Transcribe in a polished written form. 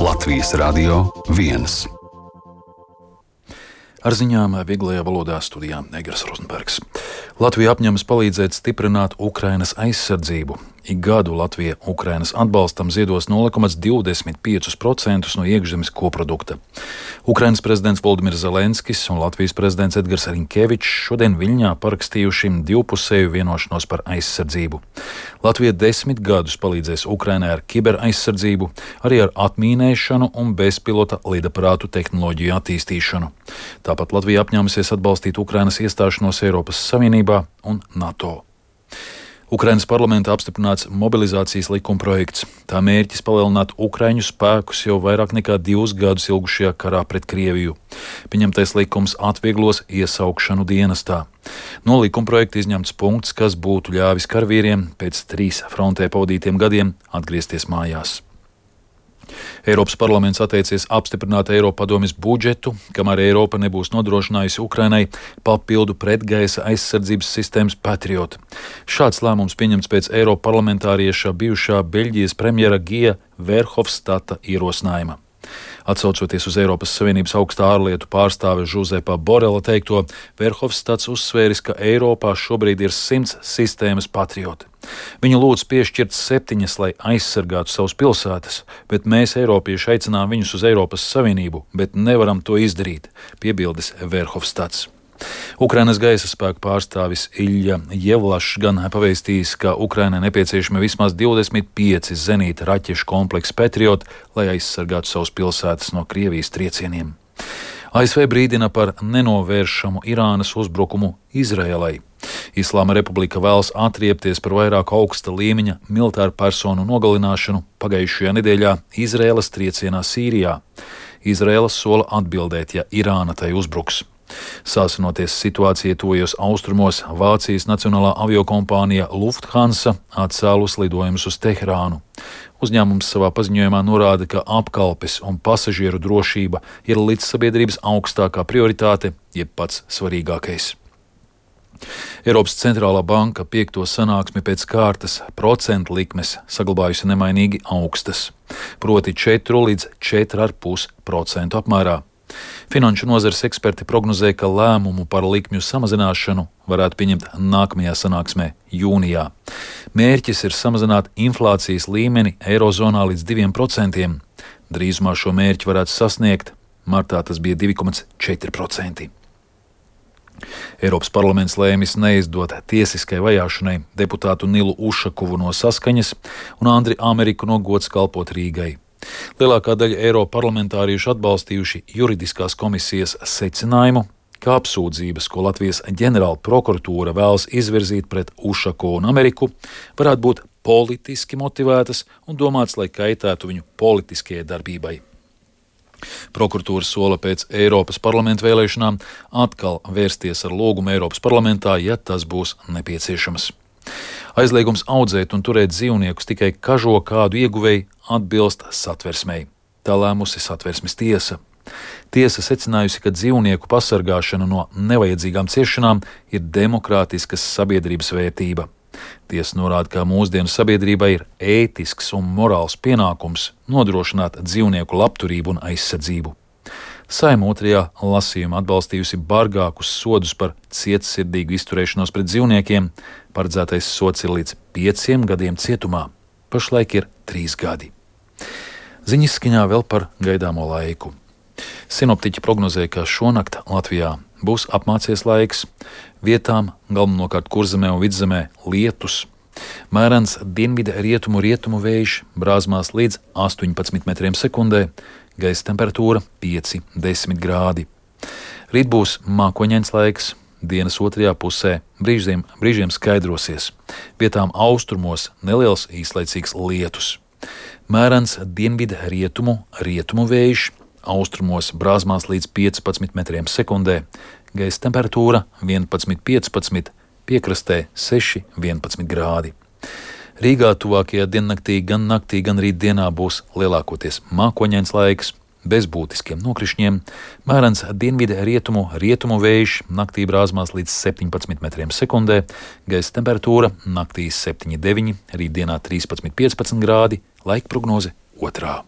Latvijas Radio 1. Ar ziņām vieglajā valodā studijā Negras Rozenbergs. Latvija apņemas palīdzēt stiprināt Ukrainas aizsardzību. Ik gadu Latvija Ukrainas atbalstam ziedos 0,25% no iekšzemes koprodukta. Ukrainas prezidents Voldimirs Zelenskis un Latvijas prezidents Edgars Rinkevičs šodien Viļņā parakstījuši divpusēju vienošanos par aizsardzību. Latvija 10 gadus palīdzēs Ukrainai ar kiberaizsardzību, arī ar atmīnēšanu un bezpilota lidaparātu tehnoloģiju attīstīšanu. Tāpat Latvija apņēmusies atbalstīt Ukrainas iestāšanos Eiropas Savienībā un NATO. Ukrainas parlamentā apstiprināts mobilizācijas likumprojekts. Tā mērķis palielināt ukraiņu spēkus jau vairāk nekā 2 gadus ilgušajā karā pret Krieviju. Pieņemtais likums atvieglos iesaukšanu dienestā. No likumprojekta izņemts punkts, kas būtu ļāvis karavīriem pēc 3 frontē pavadītiem gadiem atgriezties mājās. Eiropas parlaments atteicies apstiprināt Eiropadomes budžetu, kamēr Eiropa nebūs nodrošinājusi Ukrainai papildu pretgaisa aizsardzības sistēmas Patriot. Šāds lēmums pieņemts pēc Eiroparlamentārieša bijušā Beļģijas premjera Gija Verhofstadta ierosinājuma. Atsaucoties uz Eiropas Savienības augstā ārlietu pārstāve Žuzepa Borela teikto, Verhofstadts uzsvēris, ka Eiropā šobrīd ir 100 sistēmas Patriot. Viņu lūdz piešķirt 7, lai aizsargātu savas pilsētas, bet mēs, eiropieši, aicinām viņus uz Eiropas Savienību, bet nevaram to izdarīt, piebildis Verhofstadts. Ukrainas gaisa spēku pārstāvis Ilja Jevlašs gan pavēstījis, ka Ukrainai nepieciešami vismaz 25 zenīta raķešu kompleksu Patriot, lai aizsargātu savas pilsētas no Krievijas triecieniem. ASV brīdina par nenovēršamu Irānas uzbrukumu Izraēlai. Islāma republika vēlas atriepties par vairāk augsta līmeņa militāru personu nogalināšanu pagājušajā nedēļā Izraēlas triecienā Sīrijā. Izraēla sola atbildēt, ja Irāna tai uzbruks. Sāsinoties situācijai tuvajos austrumos, Vācijas nacionālā aviokompānija Lufthansa atcēlus lidojumus uz Teherānu. Uzņēmums savā paziņojumā norāda, ka apkalpes un pasažieru drošība ir līdzsabiedrības augstākā prioritāte, jeb pats svarīgākais. Eiropas centrālā banka 5. sanāksmi pēc kārtas procentu likmes saglabājusi nemainīgi augstas, proti 4 līdz 4,5% apmērā. Finanšu nozares eksperti prognozē, ka lēmumu par likmju samazināšanu varētu pieņemt nākamajā sanāksmē jūnijā. Mērķis ir samazināt inflācijas līmeni Eirozonā līdz 2%. Drīzumā šo mērķi varētu sasniegt, martā tas bija 2,4%. Eiropas parlaments lēmis neizdot tiesiskai vajāšanai deputātu Nilu Ušakovu no Saskaņas un Andri Ameriku no Gods kalpot Rīgai. Lielākā daļa eiroparlamentāriešu atbalstījuši juridiskās komisijas secinājumu, ka apsūdzības, ko Latvijas ģenerāla prokuratūra vēlas izvirzīt pret Ušakovu un Ameriku, varētu būt politiski motivētas un domāts, lai kaitētu viņu politiskajai darbībai. Prokuratūra sola pēc Eiropas parlamenta vēlēšanām atkal vērsties ar lūgumu Eiropas parlamentā, ja tas būs nepieciešams. Aizliegums audzēt un turēt dzīvniekus tikai kažo kādu ieguvēju atbilst satversmei. Tā lēmusi satversmes tiesa. Tiesa secinājusi, ka dzīvnieku pasargāšana no nevajadzīgām ciešanām ir demokrātiskas sabiedrības vērtība. Tiesa norāda, ka mūsdienu sabiedrībai ir ētisks un morāls pienākums nodrošināt dzīvnieku labturību un aizsardzību. Saeima 2. lasījumā atbalstījusi bargākus sodus par cietsirdīgu izturēšanos pret dzīvniekiem. Paredzētais sods ir līdz 5 gadiem cietumā. Pašlaik ir 3 gadi. Ziņas skaņā vēl par gaidāmo laiku. Sinoptiķi prognozē, ka šonakt Latvijā būs apmācies laiks, vietām galvenokārt Kurzemē un Vidzemē lietus. Mērens dienvidu rietumu vējš brāzmās līdz 18 metriem sekundē, gaisa temperatūra 5–10 grādi. Rīt būs mākoņains laiks, dienas otrajā pusē brīžiem skaidrosies. Vietām austrumos neliels īslaicīgs lietus. Mērens dienvidu rietumu vējš, austrumos brāzmās līdz 15 metriem sekundē, gaisa temperatūra 11–15, piekrastē 6–11 grādi. Rīgā tuvākajā diennaktī gan naktī, gan rītdienā būs lielākoties mākoņains laiks, bez būtiskiem nokrišņiem. Mērens dienvidu rietumu vējš, naktī brāzmās līdz 17 metriem sekundē, gaisa temperatūra naktī 7–9, rītdienā 13–15 grādi, laika prognoze 2.